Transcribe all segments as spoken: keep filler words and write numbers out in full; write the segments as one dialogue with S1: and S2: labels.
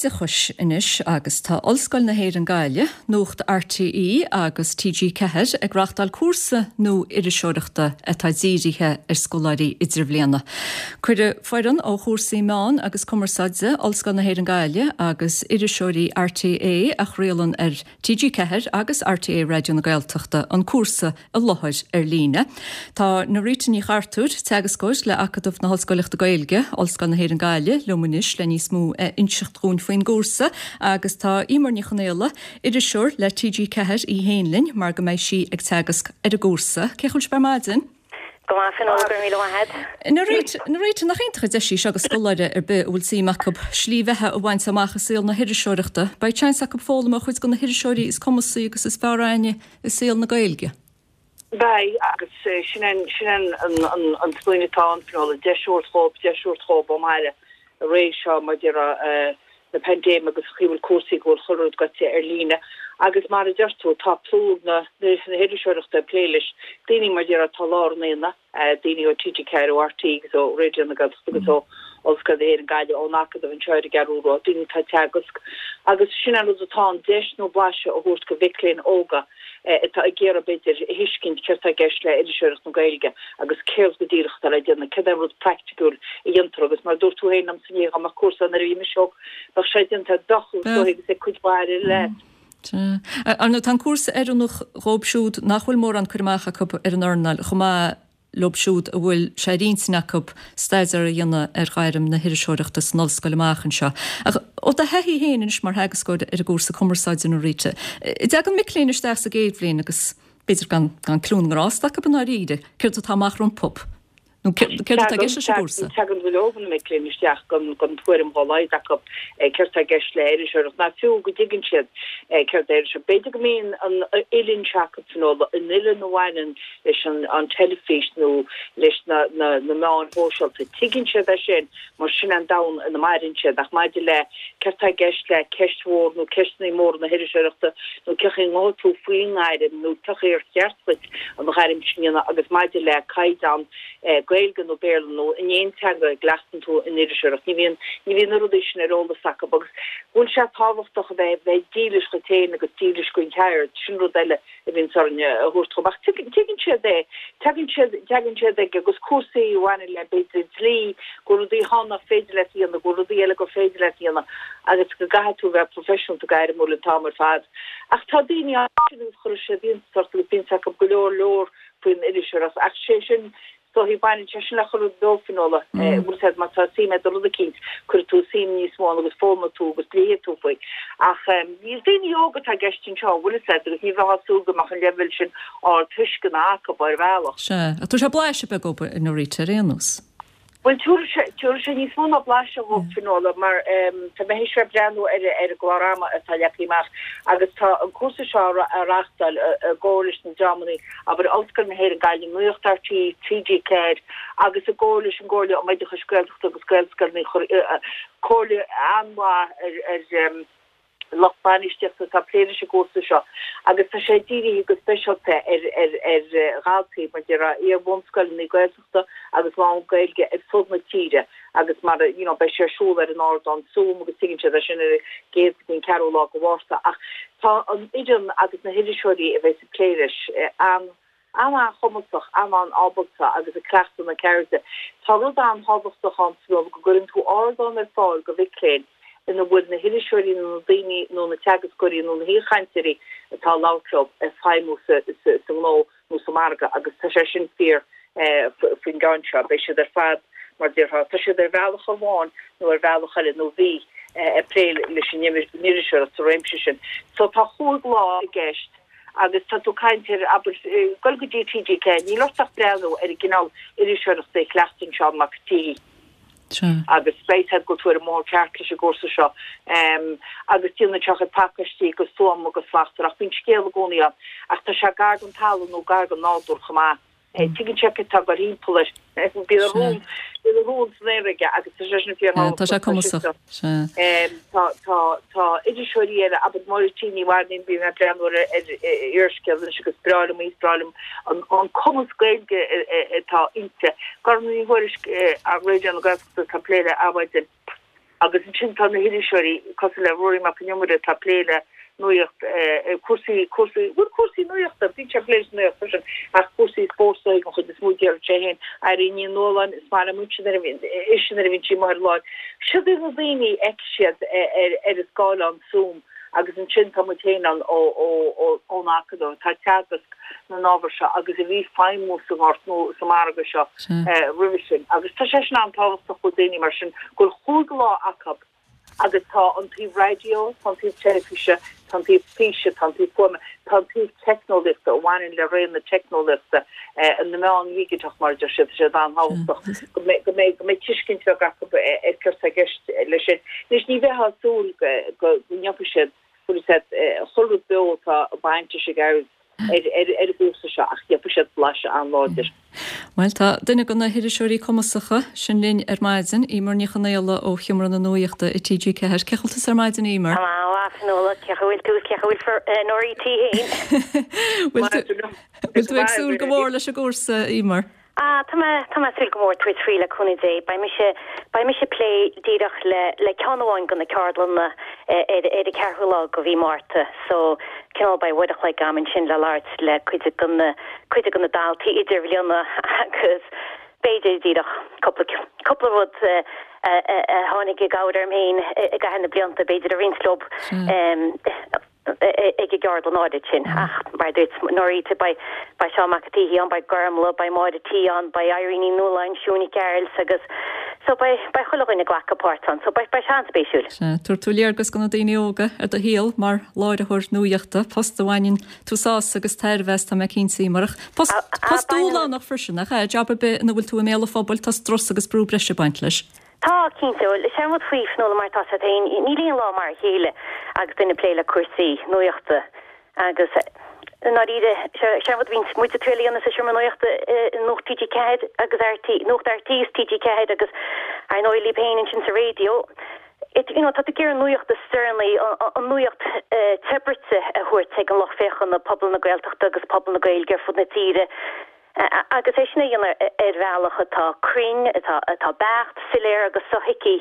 S1: oideachais anois agus tá Ollscoil na hÉireann Gaillimh, Nuacht RTÉ agus TG Ceathair ag reáchtáil cúrsa nua iriseoireachta atá dírithe ar scoláirí idirbhliana. Cuireadh foireann ó chúrsaí meán agus cumarsáide Ollscoil na hÉireann Gaillimh agus iriseoirí RTÉ a chraolann ar TG Ceathair agus RTÉ Raidió na Gaeltachta an cúrsa i láthair ar líne. Tá Norita Ní Chartúir teagascóir le Acadamh na hOllscoileachta Gaeilge, Ollscoil na hÉireann Gaillimh liom anois le níos mó a inseacht dúinn faoin gcúrsa agus tá Emer Ní Chonaola, iriseoir le TG Ceathair í féin linn mar go mbeidh sí ag teagasc ar an gcúrsa. Cén chaoi a bhfuil sibh ar maidin?
S2: Go maith Fionnuala go raibh míle maith agat.
S1: Norita nach iontach an deis í seo do scoláire ar bith a bhfuil suim acu slí bheatha a bhaint amach i saol na hiriseoireachta, beidh seans acu foghlaim ó chuid de na hiriseoirí is cumasaí agus is fearr aithne i saol na Gaeilge.
S3: Beidh agus sin sin an smaoineamh atá ann Fionnuala deis a thabhairt dhóibh deis a thabhairt dhóibh ó mbaile i ré seo mar a déarfá na paindéime agus chaoi bhfuil cúrsaí go bhfuil chuile rud gaite ar líne agus mar a deir tú tá plúr na na hiriseoireachta ag plé leis daoine mar a déarfá atá lár an aonaigh daoine ó TG Ceathair ó RTÉ agus ó Raidió na Gaeltachta agus ó Ollscoil na hÉireann Gaillimh ón Acadamh anseo ar an gCeathrú Rua daoine atá ag teagasc agus sin an rud atá an deis nó blaiseadh a thabhairt do mhic léinn óga atá ag iarraidh b'fhéidir a thuiscint céard atá i gceist le iriseoireacht na Gaeilge agus céard go díreach atá le déanamh céard é an rud praiticiúil a dhéantar agus mar dúirt tú féin liomsa inné dá mbeadh cúrsa nuair a bhí mise óg bheadh sé déanta bheadh agus ag cuid mhaith le
S1: Ar ndóigh tá an cúrsa oiriúnach dhóibh siúd nach bhfuil mórán cur amach acu ar an earnáil chomh maith leo siúd a bhfuil sé ar intinn acu staidéar a dhéanamh ar ghairm na hiriseoireachta san ollscoil amach anseo. Ach ó do thaithí féin anois mar theagascóir ar an gcúrsa cumarsáide Norita, dtagann mic léinn isteach sa gcéad bhliain agus b'fhéidir gan gan cliú na ngrást acu i ndáiríre, céard atá amach rompu. Nó céard atá i gceist leis an gcúrsa?
S3: Tagann go leor de na mic léinn isteach gan gan tuairim dá laghad acu céard atá i gceist le iriseoireacht ná fiú go dtuigeann siad céard é iriseoireacht. B'fhéidir go mbíonn an oiliúint acu Fionnuala an oiliúint a bhaineann leis an an teilifís nó leis na na na meáin shóisialta. Tuigeann siad é sin mar sin an domhan ina maireann siad ach maidir le céard atá i gceist le ceist mhór nó ceisteanna móra na hiriseoireachta nó cén chaoi a ngabhfaidh tú faoin ngairm nó cén chaoi ar cheart duit an ghairm sin a dhéanamh agus maidir le caighdeán Gaeilge nó Béarla nó in aon teanga a gcleachtann tú in iriseoireacht. Ní bhíonn ní bhíonn na rudaí sin ar eolas acu agus bhfuil sé tábhachtach a bheith bheith dílis duit féin agus dílis don cheird sin rud eile a bhíonn orainn a thabhairt chomh maith. Tuigeann siad é tagann siad tagann siad ag agus cúrsaí a bhaineann le b'fhéidir dlí go rudaí atá nach féidir leat a dhéanamh go rudaí eile gur féidir leat a dhéanamh agus go gcaithfidh tú bheith professional gairmiúil an t-am ar fad. Ach tá daoine sin chuir siad iontas agus bíonn acu go leor leor faoin iriseoireacht ach sé sin so hi baineann sé sin le chuile rud beo Fionnuala bhfuil sé má tá suim agat i rud eicínt cuirfidh tú suim níos mó agus foghlaimeoidh tú agus léifidh tú faoi. Ach ní daoine óga atá i gceist anseo bhfuil a fhios agat agus ní bheadh súil go mbeadh an leibhéal sin ardtuisceana acu ar bhealach.
S1: Sea, ach tá sé blaiseadh beag dóibh Norita ar aon nós.
S3: Well tabharfaidh sé níos mó ná blaiseadh dhóibh Fionnuala mar tá mé théis breathnú ar ar an gclár ama atá leagtha amach agus tá an cúrsa seo á reáchtáil i gcomhar leis na dreamanna abair Ollscoil na hÉireann Gaillimh Nuacht RTÉ TG Ceathair agus i gcomhar leis an gComhairle um Oideachais Gaeltachta agus Gaelscoileanna comhairle an-mhaith ar ar lucht bainistíochta atá ag plé leis an gcúrsa seo agus tá sé dírithe go speisialta ar ar ar dhaltaí mar a déarfá iar-bhunscoileanna Gaeltachta agus lán-Ghaeilge ar fud na tíre agus mar you know beidh sé ar siúl ar an ardán Zoom agus tuigeann siad é sin ar an gcéad go dtí an ceathrú lá de Mhárta ach tá an fhoireann agus na hiriseoirí a bheidh ag plé leis an an-chumasach an-ábalta agus ag cleachtadh na ceirde. Tá rud an-tábhachtach ann go gcuireann tú ardán ar fáil do mhic léinn ina bhfuil na hiriseoirí nó na daoine nó na teagascóirí nó na haoichainteoirí atá ag labhairt leo ag feidhmiú sa sa ngnó nó sa margadh agus tá sé sin fíor faoin gceann seo beidh siad ar fad mar a déarfá tá siad ar bhealach amháin nó ar bhealach eile nó bhí ag plé leis an iriseoireacht sa réimse sin. So tá chúig lá i gceist agus tá tú ag caint ar abair gul go dtí TG Ceathair níl ort ach breathnú ar an gcineál iriseoireachta a chleachtann Seán Mac Tí. agus beidh siad go tuair mór ceart leis an gcúrsa seo um, agus déanann sé pacáistí go stuama agus slachtmhar ach bíonn scéal i gcónaí ann ach tá sé gar don talamh nó gar don nádúr chomh maith. Tuigeann sé tá go timpeall bí rún rún san aige agus tá sé sin fíor
S1: Tá sé cumasach.
S3: Tá tá tá iriseoirí eile abair Máirtín Ní Mhainnín bím ag breathnú ar Úrscéal agus breá liom is breá liom an cumas Gaeilge atá inti. Gorm Ní Thuairisg ar Raidió na Gaeltachta tá plé le Adhmhaidin. Agus ansin tá na hiriseoirí cosúil le Ruairí Mac Con Iomaire atá ag plé le nuacht, cúrsaí, cúrsaí, bhuel cúrsaí nuachta, bíonn sé ag plé leis an nuacht freisin, ach cúrsaí spóirt den chuid is mó déarfainn sé féin. Irene Ní Nualláin, is maith liom ise nuair a bhíonn, ise nuair a bhíonn sí amuigh ar an láthair. Siod iad na daoine a fheicfidh siad ar ar an scáileán Zoom agus ansin tá muid féin ann ó ó ó ón Acadamh atá ag teagasc na n-ábhar seo agus a bhí ag feidhmiú sa ngort nó sa margadh seo roimhe sin. Agus tá sé sin an-tábhachtach do daoine mar sin go bhfuil chúig lá acu agus tá an taobh raidió, tá an taobh teilifíse, tá an taobh físe, tá an taobh fuaime, tá an taobh teicneolaíochta a bhaineann le ré na teicneolaíochta, na meán dhigiteach mar a deir siad, tá sé an-tábhachtach go mbeidh go mbeidh go mbeidh tuiscint bheag acu ar céard atá i gceist leis sin. Anois ní bheifeá ag súil go ngeobhaidh siad, bhfuil a fhios agat, chuile rud beo atá bainte sé gairid ar ar an gcúrsa seo ach gheobhaidh siad blaiseadh an-láidir.
S1: Bhuel, tá duine de na hiriseoirí cumasacha sin linn ar maidin, Eimear Ní Chonaola ó Sheomra na Nuachta i T G ceathair. Cén chaoi a bhfuil tusa ar maidin, Eimear?
S2: Tá mé an-mhaith, Fionnuala. Cén chaoi a bhfuil tú is cén chaoi a bhfuil Norita féin?
S1: Bhfuil tú ag súil go mór leis an gcúrsa, Eimear?
S2: Ah, tá mé, tá mé ag súil go mór tabhairt faoi le cúnamh Dé. Beidh mise, beidh mise ag plé díreach le, le ceann amháin de na ceardlanna ar, ar an ceathrú lá de mhí Márta. So, cineál beidh uair a chloig agam ansin le labhairt le cuid de na, cuid de na daltaí idirbhliana agus b'fhéidir díreach cúpla, cúpla rud a, a, a tháinig i gcabhair orm féin i gcaitheamh na blianta, b'fhéidir a roinnt leo. ag an gceardlann áirid sin. Ach mar a dúirt Norita, beidh beidh Seán Mac an tSíthigh ann, beidh Gormlaith, beidh Máire T ann, beidh Irene Ní Nualláin, Siún Nic Gearailt agus so beidh beidh chuile dhuine ag glacadh páirt ann. So beidh beidh sé an-spéisiúil.
S1: Sea, tabharfaidh tú léargas do na daoine óga ar do shaol mar láithreoir nuachta, post a bhaineann tú sásamh agus tairbhe as, tá mé cinnte, Eimear. Ach post post dúshlánach freisin, nach ea? Jab ar bith ina bhfuil tú i mbéal an phobail, tá strus agus brú breise ag baint leis.
S2: Tá, cinnte. Bhuel, is é an rud faoi, Fionnuala, mar atá a fhios agat féin, níl aon lá mar a chéile agus duine ag plé le cúrsaí nuachta agus i ndáiríre, sé an rud a bhíonn muid ag triail a dhéanamh sa seomra nuachta i Nuacht T G ceathair agus R T, Nuacht R T is T G ceathair agus ar ndóigh libh féin ansin sa raidió, it, you know, tá tú ag iarraidh an nuacht is deireanaí, an nuacht te bruite a thabhairt ag an lucht féachana, pobal na Gaeltachta agus pobal na Gaeilge ar fud na tíre. Agus é sin a dhéanamh ar bhealach atá cruinn, atá beacht, soiléir agus sothuigthe.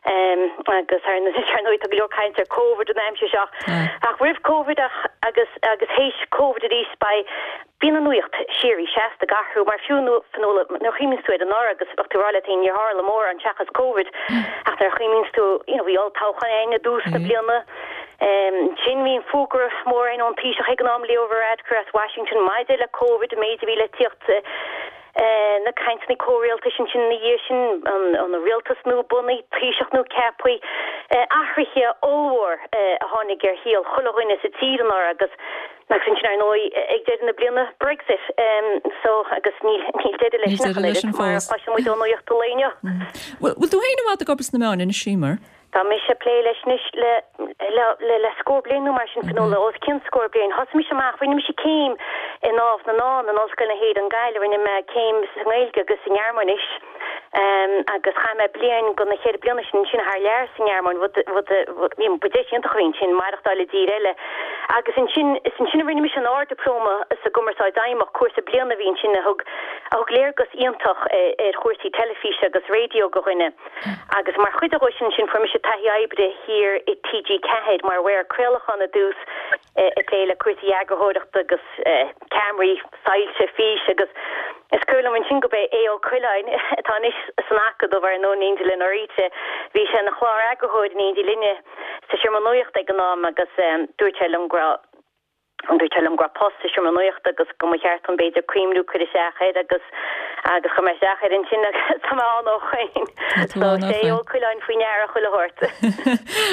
S2: Agus ar ndóigh tá go leor caint ar Covid an aimsir seo. Ach roimh Covid agus agus théis Covid arís beidh, bíonn an nuacht síoraí seasta ag athrú mar fiú Fionnuala nuair a chuimhníonns tú air anuraidh agus bheadh tú ag rá leat féin níor tharla mórán seachas Covid ach nuair a chuimhníonns tú you know bhí olltoghchán againn i dtús na bliana. Ansin bhí an fógra mór ann ón Taoiseach ag an am, Leo Varadkar as Washington, maidir le Covid, an méid a bhí le tíocht, na cainteanna comhrialtais ansin ina dhiaidh sin, an rialtas nua bunaithe, Taoiseach nua ceaptha, athruithe ollmhór a tháinig ar shaol chuile dhuine sa tír anuraidh agus agus ansin ar ndóigh ag deireadh na bliana Brexit. So agus níl níl deireadh leis
S1: Níl
S2: sin ach
S1: deireadh
S2: an
S1: leis
S2: oiread
S1: sin
S2: mar a
S1: fós.
S2: chloiseann muid ón nuacht an lae inniu.
S1: Bhfuil tú féin i bhfad ag obair sna meáin anois, Eimear?
S2: Tá mise ag plé leis anois le le le scór bliain nó mar sin, Fionnuala, os cionn scór bliain. Thosaigh mise amach, rinne mise céim i nDámh na nDán in Ollscoil na hÉireann, Gaillimh, rinne mé céim sa nGaeilge agus sa nGearmáinis agus chaith mé bliain de na ceithre bliana sin ansin thar lear sa nGearmáin, rud rud a ba deis iontach a bhí ansin, maireachtáil i dtír eile. Agus ansin, is ansin a rinne mise an Ard-Dioplóma sa gCumarsáid Fheidhmeach, cúrsa bliana a bhí ansin a thug a thug léargas iontach ar chúrsaí teilifíse agus raidió do dhuine. Agus mar chuid de sin ansin fuair mise taithí oibre thiar i T G ceathair mar mhaor craolacháin i dtús, ag plé le cúrsaí eagarthóireachta agus ceamaraí, soilse, fís agus is cuimhin liom ansin gurb é Aodh Ó Coileáin, atá anois san Acadamh ar ndóigh in éindí le Norita, bhí sé ina chlár-eagarthóir in éindí linne sa Seomra Nuachta ag an am agus dúirt sé liom go raibh Dúirt sé liom go raibh post sa Seomra Nuachta agus go mba cheart dom b'fhéidir cuimhniú cur isteach air agus agus chuir mé isteach air ansin agus tá mé ann ó shoin.
S1: Tá tú
S2: So
S1: ann ó
S2: sé
S1: shoin.
S2: Ó Coileáin faoi ndeara chuile shórt.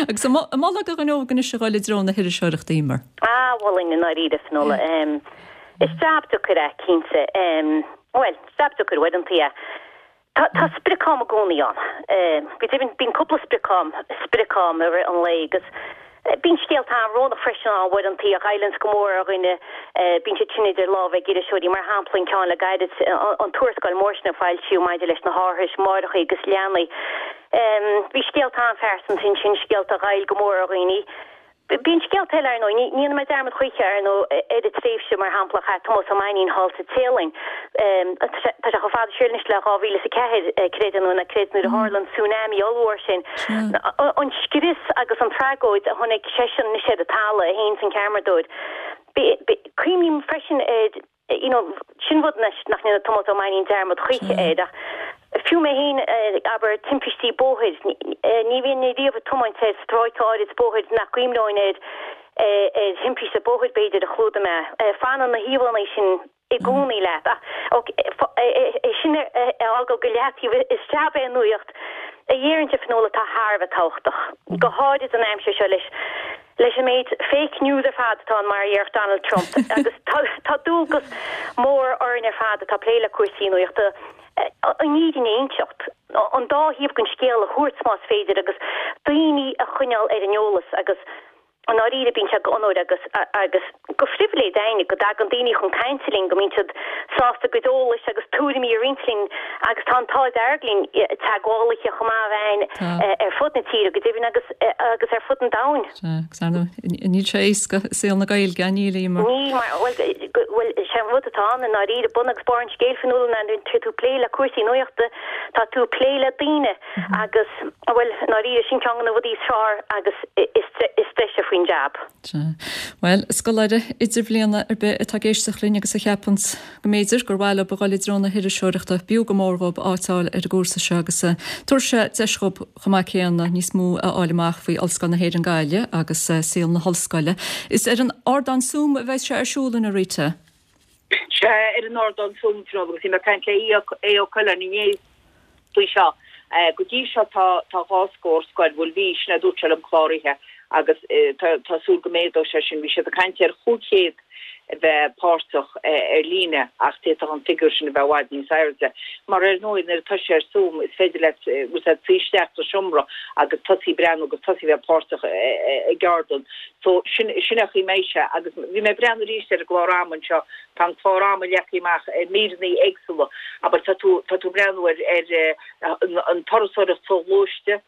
S1: Agus an mholfá do dhuine óg anois a dhul i dtreo na hiriseoireachta, Eimear?
S2: Ah, mholfainn i ndáiríre, Fionnuala. Is jab deacair é, cinnte. Bhuel, jab deacair uaireanta é. Tá tá sprioc-am i gcónaí ann. Go deimhin, bíonn cúpla sprioc-am, sprioc-am i rith an lae agus bíonn scéalta an-bhrónach freisin ann uaireanta a ghoilleanns go mór ar dhuine. Bíonn siad sin idir lámha ag iriseoirí, mar shampla an ceann le gairid, an tuarascáil mhór sin a foilsíodh maidir leis na harthais máithreacha agus leanaí. Bhí scéalta an-phearsanta ansin, scéalta a ghoill go mór ar dhaoine. Bíonn scéalta eile, ar ndóigh. Ní dhéanfaidh mé dearmad choíche, ar ndóigh, ar an tréimhse, mar shampla, a chaith Tomás Ó Mainnín thall sa Téalainn. Tá sé chomh fada siar anois le dhá mhíle is a ceathair, creid é nó ná creid, nuair a tharla an tsunami ollmhór sin. An scrios agus an tragóid a chonaic seisean anois ar an talamh, é féin is an ceamaradóir. Cuimhním freisin ar you know, sin rud anois nach ndéanfaidh Tomás Ó Mainnín dearmad choíche air, ach fiú mé féin, abair, timpistí bóthair, ní bhínn riamh ag tiomáint ar stráice áirid bóthair nach gcuimhneoinn ar ar thimpiste bóthair, b'fhéidir, a chlúdaigh mé. Fanann na híomhánna sin i gcónaí leat. Ach é sin a fhágáil go leataobh, is jab é an nuaíocht a dhéarfainnse, a Fhionnuala, atá thar a bheith tábhachtach, go háirid an aimsir seo leis leis an méid fake news ar fad atá ann, mar a dhéarfadh Donald Trump, agus tá dualgas mór orainn ar fad atá ag plé le cúrsaí nuachta an fhírinne a inseacht, an dá thaobh den scéal a thabhairt más féidir, agus daoine a choinneáil ar an eolas. Agus i ndáiríre bíonn sé d'onóir agus agus de phribhléid againne go dtagann daoine chun cainte linn, go mbíonn siad sásta a gcuid eolais agus tuairimí a roinnt linn agus tá an t-ádh dearg linn teagmhálaithe chomh maith a bheith againn ar fud na tíre go deimhin agus agus ar fud an domhain.
S1: Sea, agus ar ndóigh níl sé éasca i saol na Gaeilge, níl, Eimear?
S2: Níl, mar, bhuel, bhuel, sé an rud atá ann i ndáiríre, bun agus barr an scéil, Fionnuala, ná nuair atá tú ag plé le cúrsaí nuachta, tá tú ag plé le daoine agus, bhuel, i ndáiríre, sin ceann de na rudaí is fearr agus is deise faoin jab.
S1: Sea. Bhuel, scoláire idirbhliana ar bith atá ag éisteacht linn agus a cheapanns go mb'fhéidir gur mhaith leo a dhul i dtreo na hiriseoireachta, b'fhiú go mór dhóibh áit a fháil ar an gcúrsa seo agus tabharfaidh sé deis dhóibh chomh maith céanna níos mó a fháil amach faoi Ollscoil na hÉireann Gaillimh agus saol na hollscoile. Is ar an ardán Zoom a bheidh sé ar siúl, an ea, Rita?
S3: Sea, ar an ardán Zoom, Fionnuala, agus bhí mé ag caint le Aodh Ó Coileáin inné faoi seo. Go dtí seo tá tá dhá scór scoil, bhuel bhí, sin é a dúirt sé liom, cláraithe agus tá tá súil go méadóidh sé sin. Bhí siad ag caint ar chúig chéad a bheith páirteach ar líne ach d'fhéadfadh an figiúr sin a bheith i bhfad níos airde. Mar ar ndóigh nuair atá sé ar Zoom is féidir leat bhfuil a fhios agat suí isteach sa seomra agus tosaí breathnú agus tosaí bheith páirteach i gceardlann. So sin sin é an chaoi a mbeidh sé agus bhí mé ag breathnú arís ar an gclár ama anseo, tá an clár ama leagtha amach i míreanna éagsúla, abair tá tú tá tú ag breathnú ar ar an turasóireacht soghluaiste,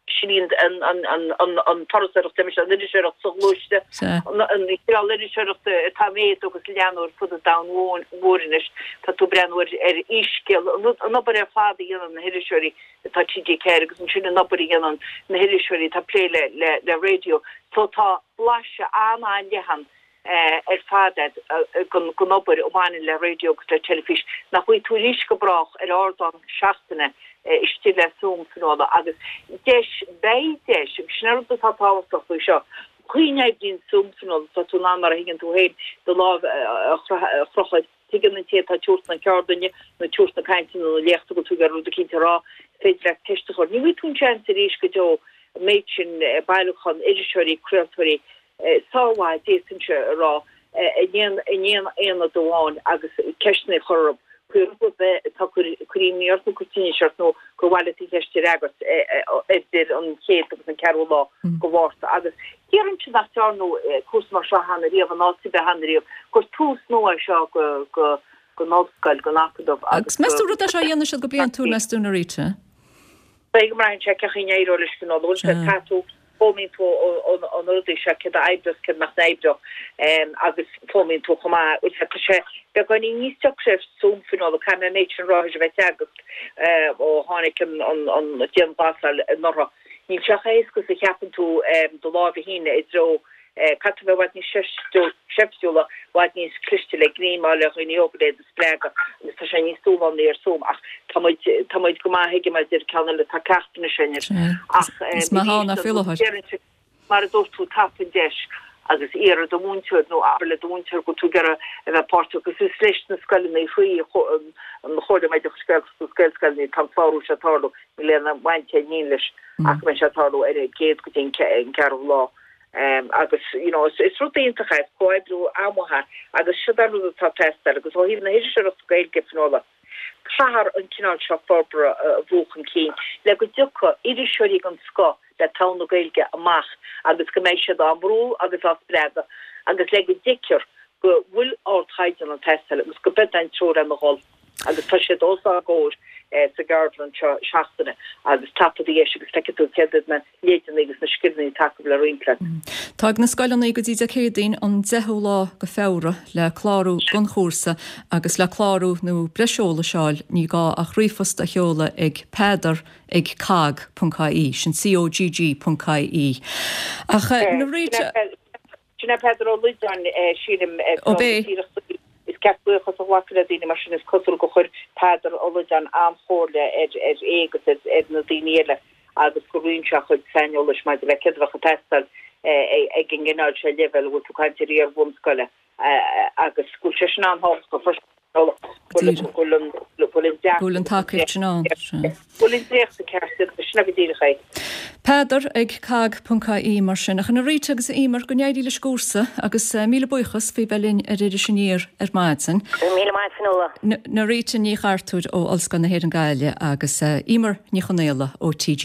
S3: sin í an an an an an turasóireacht deir mise an iriseoireacht soghluaiste, an an cineál iriseoireachta atá ag méadú agus ag leathnú ar fud an domhain mhóir anois, tá tú ag breathnú ar ar fhísscéal, an obair ar fad a dhéanann na hiriseoirí atá T G ceathair agus ansin an obair a dhéanann na hiriseoirí atá ag plé le le le raidió. So tá blaiseadh an-an-leathan ar fad agat den obair a bhaineann le raidió agus le teilifís nach bhfaighidh tú arís go brách ar ardán seachtaine istigh le Zoom, Fionnuala, agus deis, beidh deis, agus sin an rud atá tábhachtach faoi seo, an chaoi a n-oibríonn Zoom, Fionnuala, tá tú in ann, mar a thuigeann tú féin, do lámh a chrochadh, tuigeann an té atá ag tabhairt na ceardlainne nó ag tabhairt na cainte nó na léachta go bhfuil tú ag iarraidh rud eicínt a rá, is féidir leat ceist a chur. Ní bhfaighidh tú an seans arís go deo an méid sin bailiúchán iriseoirí, craoltóirí sármhaith, d'fhéadfainnse a rá, in aon aonad amháin agus ceisteanna a chur orthu faoi rud ar bith atá ag cur imní ort nó ag cur tinnis ort nó gur mhaith leat an cheist a fhreagairt idir an chéad agus an ceathrú lá de Mhárta. Agus déarfainnse nach ndearnadh cúrsa mar seo cheana riamh in áit ar bith cheana riamh, gur tús nua é seo don ollscoil, don acadamh
S1: agus. Agus meas tú rud é seo a dhéanfaidh siad go bliantúil, meas tú, a Rita?
S3: Beidh go mbraitheann sé cén chaoi a n-éireoidh leis an bhfuil sé caithfidh tú foghlaimíonn tú ó na rudaí seo céard a oibreos céard nach n-oibreodh agus foghlaimíonn tú chomh maith bhfuil tá sé beagáinín níos deacra ar Zoom Fionnuala caithfidh mé an méid sin a rá tar éis a bheith ag teagasc ó tháinig an an dianghlasáil anuraidh. Níl sé chomh héasca is a cheapann tú do lámh a shíneadh i dtreo Caithfidh tú a bheith i bhfad níos seiftiúla, i bhfad níos cliste le grímeáil le dhaoine óga le iad a spreagadh agus tá sé níos dúshlánaí ar Zoom ach tá muid, tá muid go maith aige mar a deir an ceann eile, tá ceacht anois againn air.
S1: Ach Is maith ann é faoi láthair.
S3: Mar a dúirt tú, tapaigh an deis agus iarr ar do mhúinteoir nó abair le do mhúinteoir go bhfuil tú ag iarraidh a bheith páirteach agus is leis na scoileanna faoi an Chomhairle um Oideachas Gaeltachta agus Gaelscoileanna atá an clárú seo ag tarlú, níl aon bhaint ag éinne leis ach go mbeidh sé ag tarlú ar an gcéad go dtí an ceathrú lá. Agus you know is rud iontach é, is comhoibriú an-mhaith é agus siod é an rud atá ag teastáil agus ó thaobh na hiriseoireachta Gaeilge, Fionnuala, caithfear an cineál seo forbartha a bhrú chun cinn le go dtiocfaidh iriseoirí den scoth le togha na Gaeilge amach agus go mbeidh siad á mbrú agus á spreagadh agus le go dtuigtear go bhfuil ardchaighdeán ag teastáil agus go b'é an treo lena dhul. Agus tá siad os ár gcomhair sa gceardlann seo seachtaine agus tapaigh do dheis agus feicfidh tú céard iad na leideanna agus na scileanna atá acu le roinnt leat.
S1: Tá ag na scoileanna go dtí Dé Céadaoin an deichiú lá go Feabhra le clárú don chúrsa agus le clárú nó breis eolais a fháil ní gá ach ríomhphost a sheoladh ag peadar ag cogg ponc ie, sin COGG ponc ie. Ach Norita.
S3: Sin é Peadar Ó Loideáin, sílim.
S1: Ó b'é.
S3: Is ceart buíochas a ghlacadh le daoine mar sin, is cosúil gur chuir Peadar Ó Loideáin an-chomhairle ar é agus ar na daoine eile agus gur roinn sé a chuid saineolais maidir le céard a bheadh ag teastáil ag an gcineál seo leibhéal a bhfuil tú ag caint ar iar-bhunscoile agus go bhfuil sé sin an-tábhachtach freisin go bhfuil an
S1: go bhfuil an tacaíocht sin ann.
S3: Go bhfuil an dréacht ceart, sin é go díreach é.
S1: Peadar ag cogg ponc ie mar sin. Ach a Norita agus a Emer, go n-éirí leis an gcúrsa agus míle buíochas faoi bheith linn ar Iris Aniar ar maidin.
S2: Go raibh míle maith Fionnuala.
S1: Norita Ní Chartúir ó Ollscoil na hÉireann Gaillimh agus Emer Ní Chonaola ó TG.